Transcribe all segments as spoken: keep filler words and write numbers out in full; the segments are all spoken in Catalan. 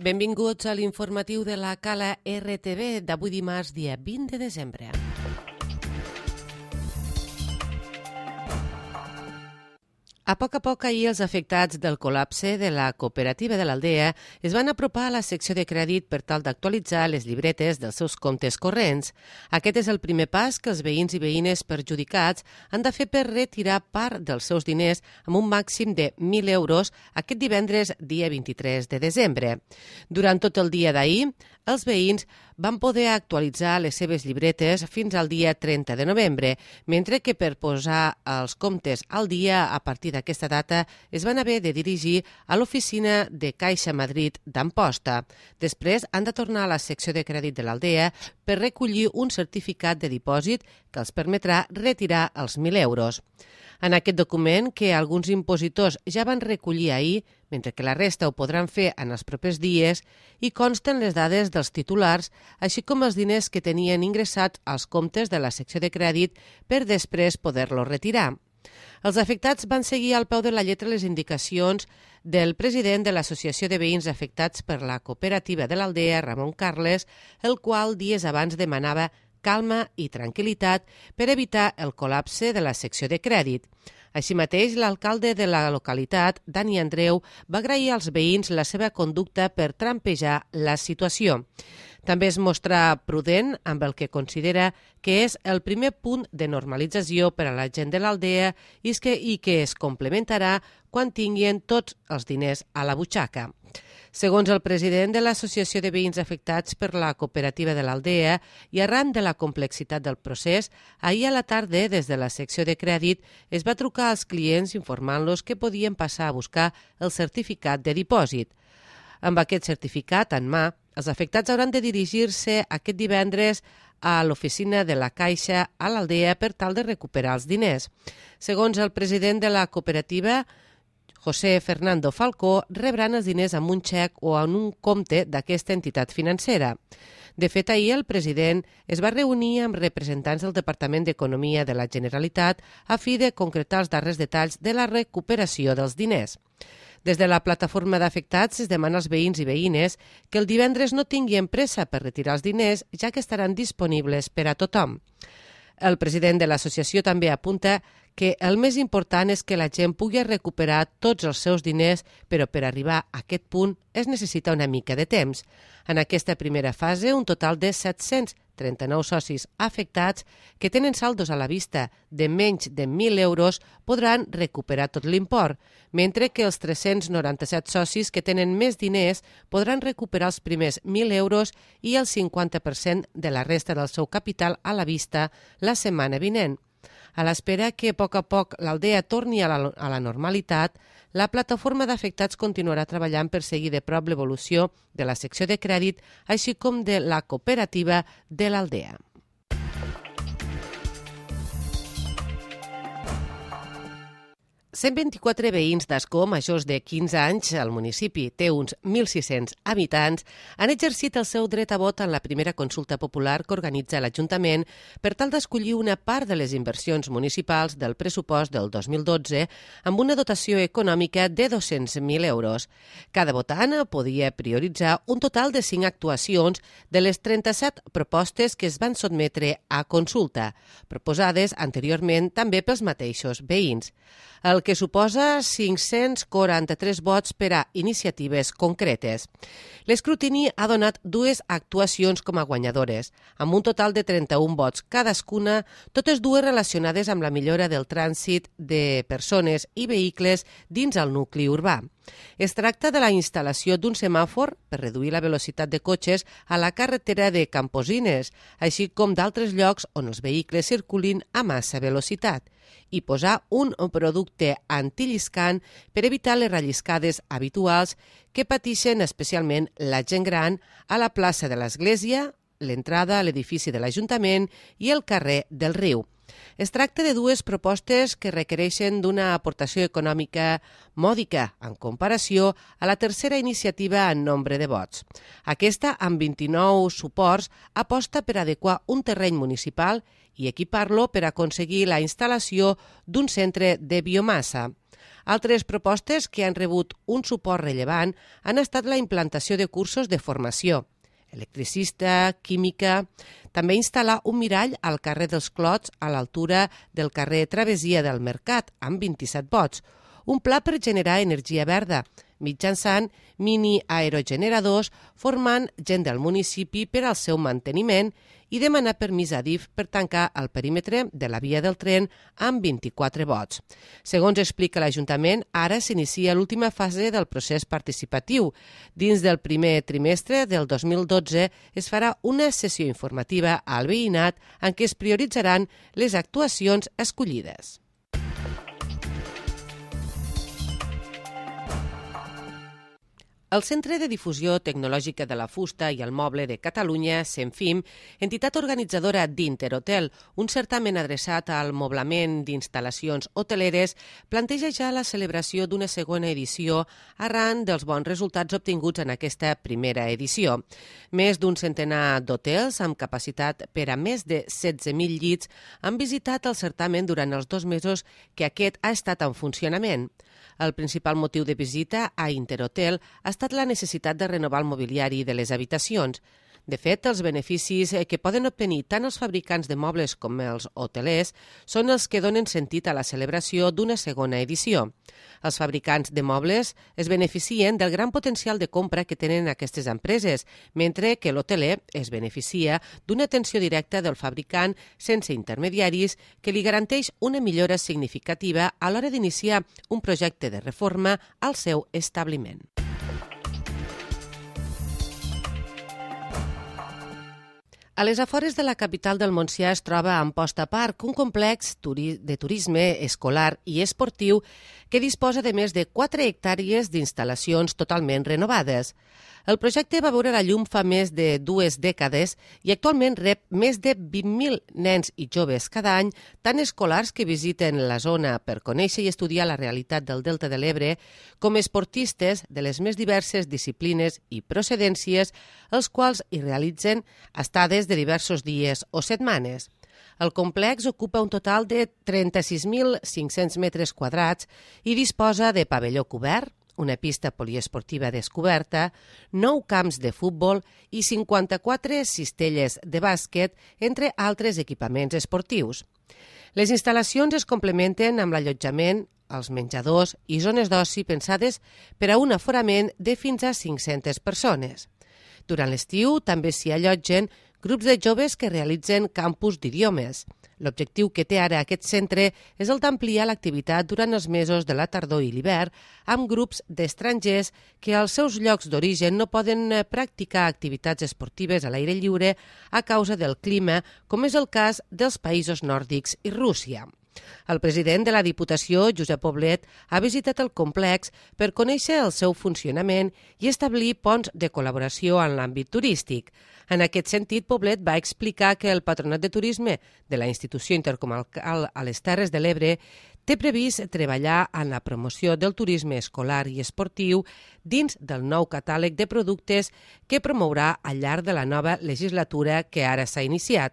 Benvinguts a l'informatiu de la Cala R T V d'avui dimarts, dia vint de desembre. A poc a poc, ahir els afectats del col·lapse de la cooperativa de l'Aldea es van apropar a la secció de crèdit per tal d'actualitzar les llibretes dels seus comptes corrents. Aquest és el primer pas que els veïns i veïnes perjudicats han de fer per retirar part dels seus diners amb un màxim de mil euros aquest divendres, dia vint-i-tres de desembre. Durant tot el dia d'ahir, els veïns van poder actualitzar les seves llibretes fins al dia trenta de novembre, mentre que per posar els comptes al dia a partir d'aquesta data es van haver de dirigir a l'oficina de Caixa Madrid d'Amposta. Després han de tornar a la secció de crèdit de l'Aldea per recollir un certificat de dipòsit que els permetrà retirar els mil euros. En aquest document, que alguns impositors ja van recollir ahir, mentre que la resta ho podran fer en els propers dies, hi consten les dades dels titulars, així com els diners que tenien ingressats als comptes de la secció de crèdit per després poder-los retirar. Els afectats van seguir al peu de la lletra les indicacions del president de l'Associació de Veïns Afectats per la Cooperativa de l'Aldea, Ramon Carles, el qual dies abans demanava calma i tranquil·litat per evitar el col·lapse de la secció de crèdit. Així mateix, l'alcalde de la localitat, Dani Andreu, va agrair als veïns la seva conducta per trampejar la situació. També es mostra prudent amb el que considera que és el primer punt de normalització per a la gent de l'Aldea i que, i que es complementarà quan tinguin tots els diners a la butxaca. Segons el president de l'Associació de Veïns Afectats per la Cooperativa de l'Aldea i arran de la complexitat del procés, ahir a la tarda, des de la secció de crèdit, es va trucar als clients informant-los que podien passar a buscar el certificat de dipòsit. Amb aquest certificat en mà, els afectats hauran de dirigir-se aquest divendres a l'oficina de la Caixa a l'Aldea per tal de recuperar els diners. Segons el president de la cooperativa, José Fernando Falcó, rebran els diners amb un xec o en un compte d'aquesta entitat financera. De fet, ahir el president es va reunir amb representants del Departament d'Economia de la Generalitat a fi de concretar els darrers detalls de la recuperació dels diners. Des de la plataforma d'afectats es demana als veïns i veïnes que el divendres no tinguin pressa per retirar els diners, ja que estaran disponibles per a tothom. El president de l'associació també apunta que el més important és que la gent pugui recuperar tots els seus diners, però per arribar a aquest punt es necessita una mica de temps. En aquesta primera fase, un total de set-cents trenta-nou socis afectats que tenen saldos a la vista de menys de mil euros podran recuperar tot l'import, mentre que els tres-cents noranta-set socis que tenen més diners podran recuperar els primers mil euros i el cinquanta per cent de la resta del seu capital a la vista la setmana vinent. A l'espera que a poc a poc l'Aldea torni a la, a la normalitat, la plataforma d'afectats continuarà treballant per seguir de prop l'evolució de la secció de crèdit, així com de la cooperativa de l'Aldea. cent vint-i-quatre veïns d'Ascó majors de quinze anys, el municipi té uns mil sis-cents habitants, han exercit el seu dret a vot en la primera consulta popular que organitza l'Ajuntament per tal d'escollir una part de les inversions municipals del pressupost del dos mil dotze amb una dotació econòmica de dos-cents mil euros. Cada votant podia prioritzar un total de cinc actuacions de les trenta-set propostes que es van sotmetre a consulta, proposades anteriorment també pels mateixos veïns, el que suposa cinc-cents quaranta-tres vots per a iniciatives concretes. L'escrutini ha donat dues actuacions com a guanyadores, amb un total de trenta-un vots cadascuna, totes dues relacionades amb la millora del trànsit de persones i vehicles dins el nucli urbà. Es tracta de la instal·lació d'un semàfor per reduir la velocitat de cotxes a la carretera de Camposines, així com d'altres llocs on els vehicles circulin a massa velocitat, i posar un producte antilliscant per evitar les relliscades habituals que pateixen especialment la gent gran a la plaça de l'Església, l'entrada a l'edifici de l'Ajuntament i el carrer del Riu. Es tracta de dues propostes que requereixen d'una aportació econòmica mòdica en comparació a la tercera iniciativa en nombre de vots. Aquesta, amb vint-i-nou suports, aposta per adequar un terreny municipal i equipar-lo per aconseguir la instal·lació d'un centre de biomassa. Altres propostes que han rebut un suport rellevant han estat la implantació de cursos de formació, electricista, química, també instal·lar un mirall al carrer dels Clots a l'altura del carrer Travessia del Mercat, amb vint-i-set vots, un pla per generar energia verda, mitjançant mini-aerogeneradors formant gent del municipi per al seu manteniment i demanar permís a DIF per tancar el perímetre de la via del tren amb vint-i-quatre vots. Segons explica l'Ajuntament, ara s'inicia l'última fase del procés participatiu. Dins del primer trimestre del dos mil dotze es farà una sessió informativa al veïnat en què es prioritzaran les actuacions escollides. El Centre de Difusió Tecnològica de la Fusta i el Moble de Catalunya, CENFIM, entitat organitzadora d'Interhotel, un certamen adreçat al moblament d'instal·lacions hoteleres, planteja ja la celebració d'una segona edició arran dels bons resultats obtinguts en aquesta primera edició. Més d'un centenar d'hotels amb capacitat per a més de setze mil llits han visitat el certamen durant els dos mesos que aquest ha estat en funcionament. El principal motiu de visita a Interhotel ha estat la necessitat de renovar el mobiliari de les habitacions. De fet, els beneficis que poden obtenir tant els fabricants de mobles com els hotelers són els que donen sentit a la celebració d'una segona edició. Els fabricants de mobles es beneficien del gran potencial de compra que tenen aquestes empreses, mentre que l'hoteler es beneficia d'una atenció directa del fabricant sense intermediaris que li garanteix una millora significativa a l'hora d'iniciar un projecte de reforma al seu establiment. A les afores de la capital del Montsià es troba Amposta Park, un complex de turisme escolar i esportiu que disposa de més de quatre hectàrees d'instal·lacions totalment renovades. El projecte va veure la llum fa més de dues dècades i actualment rep més de vint mil nens i joves cada any, tant escolars que visiten la zona per conèixer i estudiar la realitat del Delta de l'Ebre, com esportistes de les més diverses disciplines i procedències, els quals hi realitzen estades de diversos dies o setmanes. El complex ocupa un total de trenta-sis mil cinc-cents metres quadrats i disposa de pavelló cobert, una pista poliesportiva descoberta, nou camps de futbol i cinquanta-quatre cistelles de bàsquet, entre altres equipaments esportius. Les instal·lacions es complementen amb l'allotjament, els menjadors i zones d'oci pensades per a un aforament de fins a cinc-centes persones. Durant l'estiu també s'hi allotgen grups de joves que realitzen campus d'idiomes. L'objectiu que té ara aquest centre és el d'ampliar l'activitat durant els mesos de la tardor i l'hivern amb grups d'estrangers que als seus llocs d'origen no poden practicar activitats esportives a l'aire lliure a causa del clima, com és el cas dels països nòrdics i Rússia. El president de la Diputació, Josep Poblet, ha visitat el complex per conèixer el seu funcionament i establir ponts de col·laboració en l'àmbit turístic. En aquest sentit, Poblet va explicar que el Patronat de Turisme de la Institució Intercomarcal a les Terres de l'Ebre té previst treballar en la promoció del turisme escolar i esportiu dins del nou catàleg de productes que promourà al llarg de la nova legislatura que ara s'ha iniciat.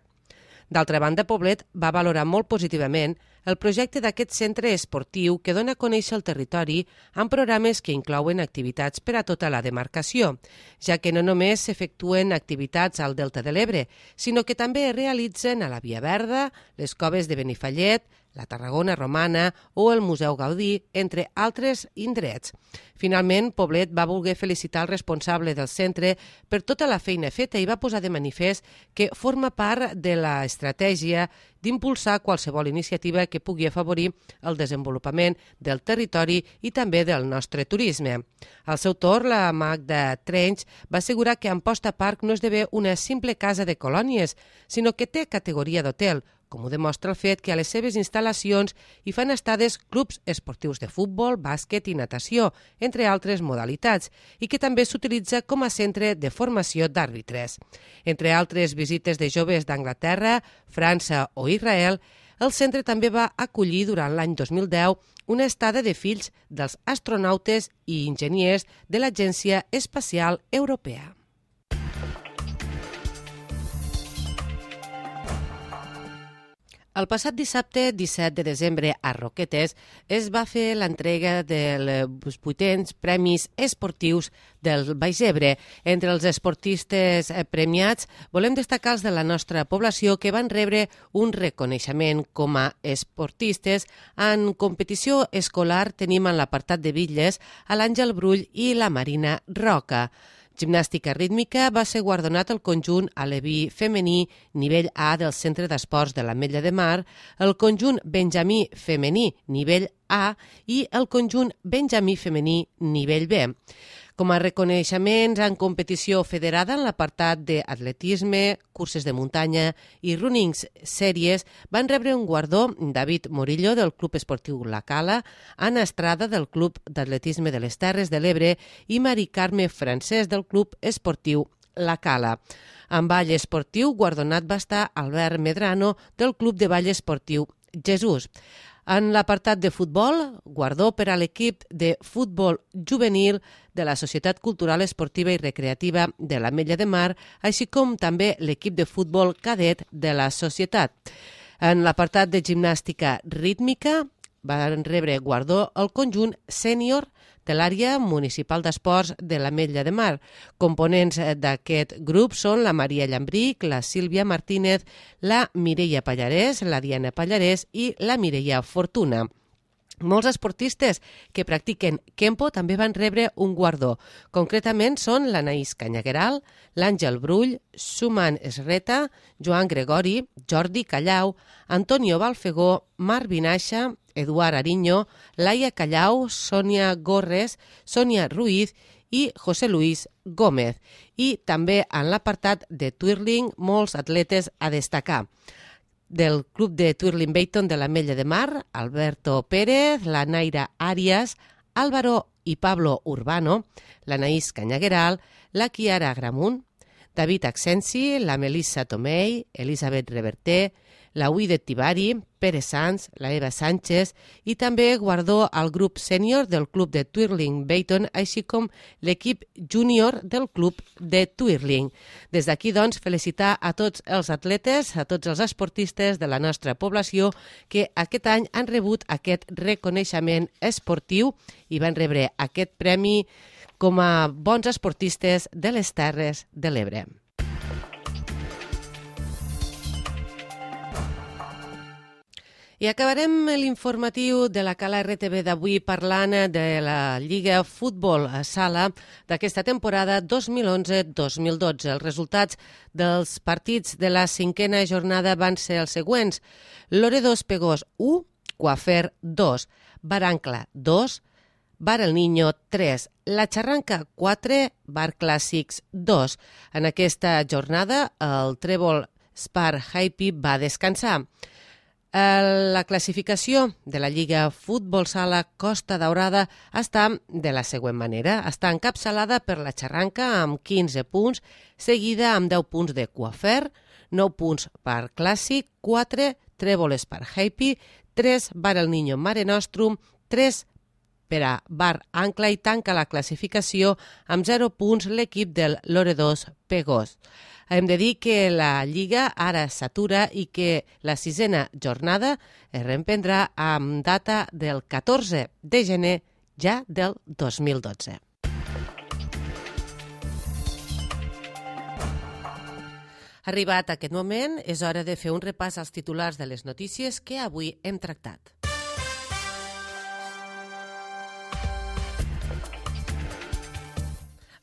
D'altra banda, Poblet va valorar molt positivament el projecte d'aquest centre esportiu que dona a conèixer el territori amb programes que inclouen activitats per a tota la demarcació, ja que no només s'efectuen activitats al Delta de l'Ebre, sinó que també es realitzen a la Via Verda, les coves de Benifallet, la Tarragona Romana o el Museu Gaudí, entre altres indrets. Finalment, Poblet va voler felicitar el responsable del centre per tota la feina feta i va posar de manifest que forma part de l'estratègia d'impulsar qualsevol iniciativa que pugui afavorir el desenvolupament del territori i també del nostre turisme. Al seu torn, la Magda Trench va assegurar que Amposta Park no esdevé una simple casa de colònies, sinó que té categoria d'hotel, com ho demostra el fet que a les seves instal·lacions hi fan estades clubs esportius de futbol, bàsquet i natació, entre altres modalitats, i que també s'utilitza com a centre de formació d'àrbitres. Entre altres visites de joves d'Anglaterra, França o Israel, el centre també va acollir durant l'any dos mil deu una estada de fills dels astronautes i enginyers de l'Agència Espacial Europea. El passat dissabte, disset de desembre, a Roquetes, es va fer l'entrega dels vuitens Premis Esportius del Baix Ebre. Entre els esportistes premiats volem destacar els de la nostra població que van rebre un reconeixement com a esportistes. En competició escolar tenim en l'apartat de bitlles a l'Àngel Brull i la Marina Roca. Gimnàstica rítmica va ser guardonat el conjunt aleví femení nivell A del Centre d'Esports de l'Ametlla de Mar, el conjunt benjamí femení nivell A i el conjunt benjamí femení nivell B. Com a reconeixements en competició federada en l'apartat d'atletisme, curses de muntanya i runnings sèries van rebre un guardó David Morillo del Club Esportiu La Cala, Anna Estrada del Club d'Atletisme de les Terres de l'Ebre i Mari Carme Francesc del Club Esportiu La Cala. En ball esportiu guardonat va estar Albert Medrano del Club de Ball Esportiu Jesús. En l'apartat de futbol, guardó per a l'equip de futbol juvenil de la Societat Cultural Esportiva i Recreativa de l'Ametlla de Mar, així com també l'equip de futbol cadet de la societat. En l'apartat de gimnàstica rítmica van rebre guardó el conjunt sènior de l'àrea municipal d'esports de l'Ametlla de Mar. Components d'aquest grup són la Maria Llambric, la Sílvia Martínez, la Mireia Pallarès, la Diana Pallarès i la Mireia Fortuna. Molts esportistes que practiquen Kempo també van rebre un guardó. Concretament són l'Anaïs Canyagueral, l'Àngel Brull, Suman Esreta, Joan Gregori, Jordi Callau, Antonio Balfegó, Marc Vinaixa, Eduard Ariño, Laia Callau, Sònia Gorres, Sònia Ruiz i José Luis Gómez. I també en l'apartat de twirling molts atletes a destacar. Del Club de Twirling Bayton de l'Ametlla de Mar, Alberto Pérez, la Naira Arias, Álvaro i Pablo Urbano, l'Anaïs Canyagueral, la Kiara Gramunt, David Accensi, la Melissa Tomei, Elisabet Reverter, la Uide Tibari, Pere Sanz, la Eva Sánchez i també guardó al grup sènior del Club de Twirling Bayton, així com l'equip júnior del Club de Twirling. Des d'aquí, doncs, felicitar a tots els atletes, a tots els esportistes de la nostra població que aquest any han rebut aquest reconeixement esportiu i van rebre aquest premi com a bons esportistes de les Terres de l'Ebre. I acabarem l'informatiu de la Cala R T V d'avui parlant de la Lliga Futbol Sala d'aquesta temporada dos mil onze dos mil dotze. Els resultats dels partits de la cinquena jornada van ser els següents. Loredo Pegós u, Coafer dos, Barancla dos, Bar El Niño tres, La Xarranca quatre, Bar Clàssics dos. En aquesta jornada el Trèvol Spar Happy va descansar. La classificació de la Lliga Futbol Sala Costa Daurada està de la següent manera. Està encapçalada per la Xarranca amb quinze punts, seguida amb deu punts de Coafer, nou punts per Clàssic, quatre Trèvol Spar Happy, tres Bar El Niño Mare Nostrum, tres per a Bar Ancla i tanca la classificació amb zero punts l'equip del Loredos Pegós. Hem de dir que la Lliga ara s'atura i que la sisena jornada es reemprendrà amb data del catorze de gener ja del dos mil dotze. Arribat aquest moment, és hora de fer un repàs als titulars de les notícies que avui hem tractat.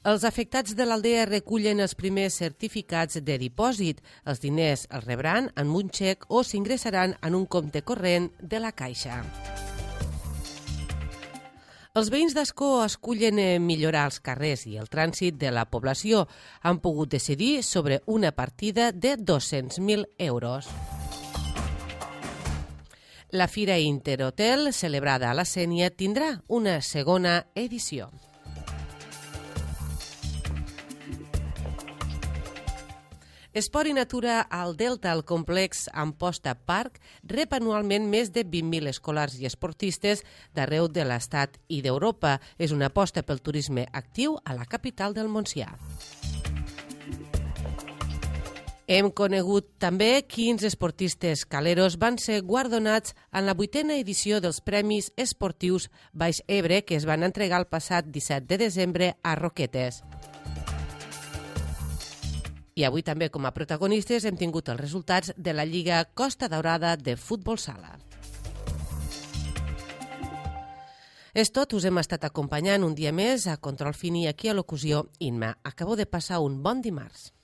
Els afectats de l'Aldea recullen els primers certificats de dipòsit. Els diners els rebran en un xec o s'ingressaran en un compte corrent de la Caixa. Els veïns d'Ascó escullen millorar els carrers i el trànsit de la població. Han pogut decidir sobre una partida de dos-cents mil euros. La Fira Interhotel, celebrada a la Sénia, tindrà una segona edició. Esport i Natura al Delta, el complex Amposta Park, rep anualment més de vint mil escolars i esportistes d'arreu de l'Estat i d'Europa. És una aposta pel turisme actiu a la capital del Montsià. Hem conegut també quins esportistes caleros van ser guardonats en la vuitena edició dels Premis Esportius Baix Ebre que es van entregar el passat disset de desembre a Roquetes. I avui també com a protagonistes hem tingut els resultats de la Lliga Costa Daurada de Futbol Sala. És tot, us hem estat acompanyant un dia més a Control Fini aquí a Locució Inma. Acabo de passar un bon dimarts.